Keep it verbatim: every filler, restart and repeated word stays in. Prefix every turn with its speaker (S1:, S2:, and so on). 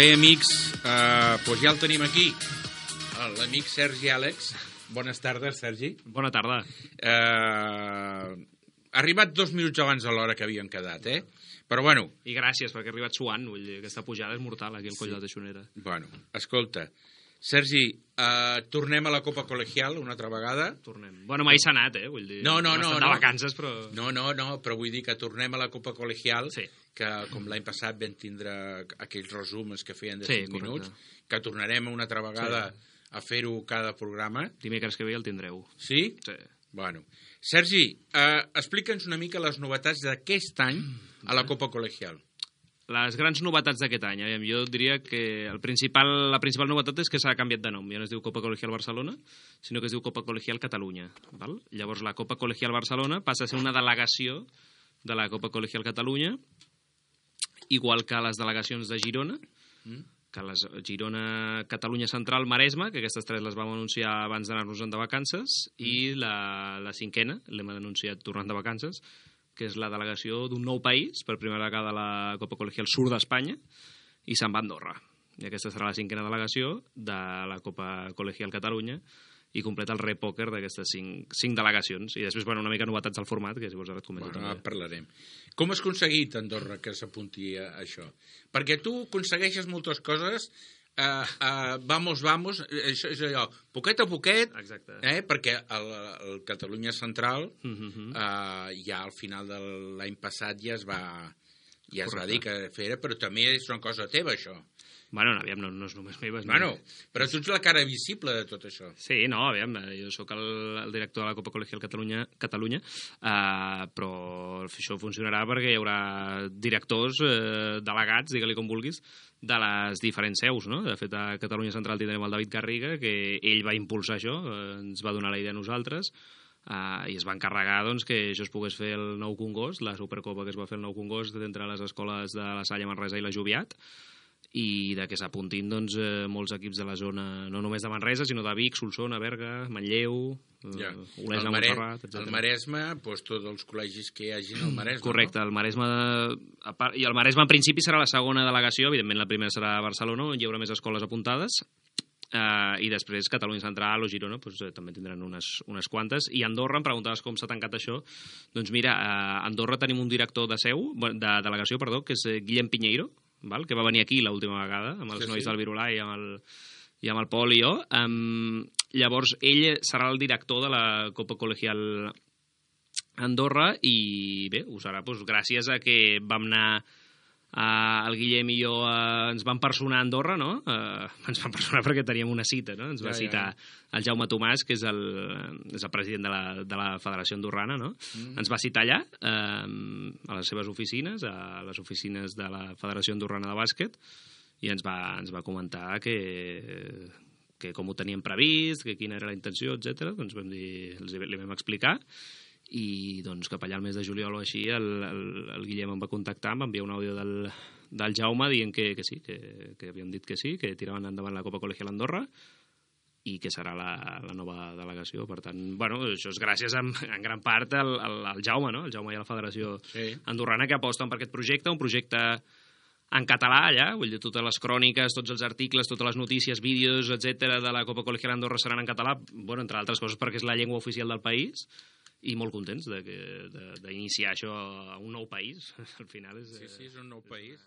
S1: Bé, amics, eh, doncs ja el tenim aquí, l'amic Sergi Àlex. Bones tardes, Sergi.
S2: Bona tarda.
S1: Eh, ha arribat dos minuts abans de l'hora que havíem quedat, eh? Però bueno...
S2: I gràcies, perquè ha arribat suant, vull dir, aquesta pujada és mortal, aquí al coll sí. de Teixonera.
S1: Bueno, escolta, Sergi, eh, tornem a la Copa Col·legial una altra vegada?
S2: Tornem. Bueno, mai s'ha anat, eh? Vull dir,
S1: no, no, no.
S2: de
S1: no.
S2: vacances, però...
S1: No, no, no, però vull dir que tornem a la Copa Col·legial,
S2: sí.
S1: que com l'any passat vam tindre aquells resums que feien de
S2: sí,
S1: cinc minuts, que tornarem una altra vegada sí. a fer-ho cada programa.
S2: Dimecres que ve el tindreu.
S1: Sí?
S2: Sí.
S1: Bueno. Sergi, eh, explica'ns una mica les novetats d'aquest any a la Copa Col·legial.
S2: Les grans novetats d'aquest any, eh? Jo diria que el principal, la principal novetat és que s'ha canviat de nom. Ja no es diu Copa Col·legial Barcelona, sinó que es diu Copa Col·legial Catalunya. Val? Llavors la Copa Col·legial Barcelona passa a ser una delegació de la Copa Col·legial Catalunya, igual que les delegacions de Girona, mm. que les Girona, Catalunya Central, Maresme, que aquestes tres les vam anunciar abans d'anar-nos-en de vacances, mm. i la, la cinquena, l'hem anunciat tornant de vacances, que és la delegació d'un nou país, per primera vegada a la Copa Col·legial Sur d'Espanya, i se'n va a Andorra. I aquesta serà la cinquena delegació de la Copa Col·legial Catalunya, i completa el repòquer d'aquestes cinc, cinc delegacions. I després, bueno, una mica novetats al format, que si vols ara et comento
S1: bueno,
S2: també.
S1: Parlarem. Com has aconseguit, Andorra, que s'apunti a això? Perquè tu aconsegueixes moltes coses, uh, uh, vamos, vamos, això és allò, poquet a poquet,
S2: exacte.
S1: Eh, perquè el, el Catalunya Central, uh
S2: uh-huh.
S1: uh, ja al final de l'any passat ja es va, ja es
S2: Correcte.
S1: va dir que fer, però també és una cosa teva, això.
S2: Bueno, no, aviam, no, no és només meva.
S1: Bueno, però tu ets la cara visible de tot això.
S2: Sí, no, aviam, jo sóc el, el director de la Copa Col·legial Catalunya, Catalunya uh, però això funcionarà perquè hi haurà directors, uh, delegats, digue-li com vulguis, de les diferents seus, no? De fet, a Catalunya Central tindrem el David Garriga, que ell va impulsar això, uh, ens va donar la idea a nosaltres, Uh, i es va encarregar doncs, que això es pogués fer el nou Congost, la Supercopa que es va fer el nou Congost entre les escoles de la Salle, Manresa i la Joviat, i de que s'apuntin doncs, eh, molts equips de la zona, no només de Manresa, sinó de Vic, Solsona, Berga, Manlleu,
S1: ja.
S2: eh, Olesa,
S1: el Mare...
S2: Montserrat, etcètera. El
S1: Maresme, doncs, tots els col·legis que hi hagin al Maresme.
S2: Correcte,
S1: no?
S2: el Maresme, a part, i el Maresme en principi serà la segona delegació, evidentment la primera serà a Barcelona, on hi haurà més escoles apuntades, Uh, i després Catalunya Central o Girona pues, eh, també tindran unes, unes quantes. I Andorra, em preguntaves com s'ha tancat això. Doncs mira, a uh, Andorra tenim un director de seu, de delegació, perdó, que és Guillem Piñeiro, val? Que va venir aquí l'última vegada amb els sí, nois sí. del Virolà i amb el, i amb el Pol i jo. Um, llavors ell serà el director de la Copa Col·legial Andorra i bé, ho serà pues, gràcies a que vam anar Uh, el Guillem i jo uh, ens vam personar a Andorra, no? Uh, ens vam personar perquè teníem una cita, no? Ens va ja, citar ja, ja. el Jaume Tomàs, que és el, és el president de la, de la Federació Andorrana, no? Mm. Ens va citar allà, uh, a les seves oficines, a les oficines de la Federació Andorrana de Bàsquet, i ens va, ens va comentar que, que com ho teníem previst, que quina era la intenció, etcètera. Doncs vam dir, els li vam explicar, i doncs cap allà al mes de juliol o així el, el, el Guillem em va contactar, em va enviar un àudio del, del Jaume dient que, que sí, que, que havien dit que sí, que tiraven endavant la Copa Col·legial Andorra i que serà la, la nova delegació. Per tant, bueno, això és gràcies en, en gran part al, al, al Jaume, no? El Jaume i a la Federació sí. Andorrana, que aposten per aquest projecte, un projecte en català allà, vull dir, totes les cròniques, tots els articles, totes les notícies, vídeos, etcètera de la Copa Col·legial Andorra seran en català, bueno, entre altres coses perquè és la llengua oficial del país, i molt contents d'iniciar això a un nou país. Al final és...
S1: Sí, sí, és un nou país.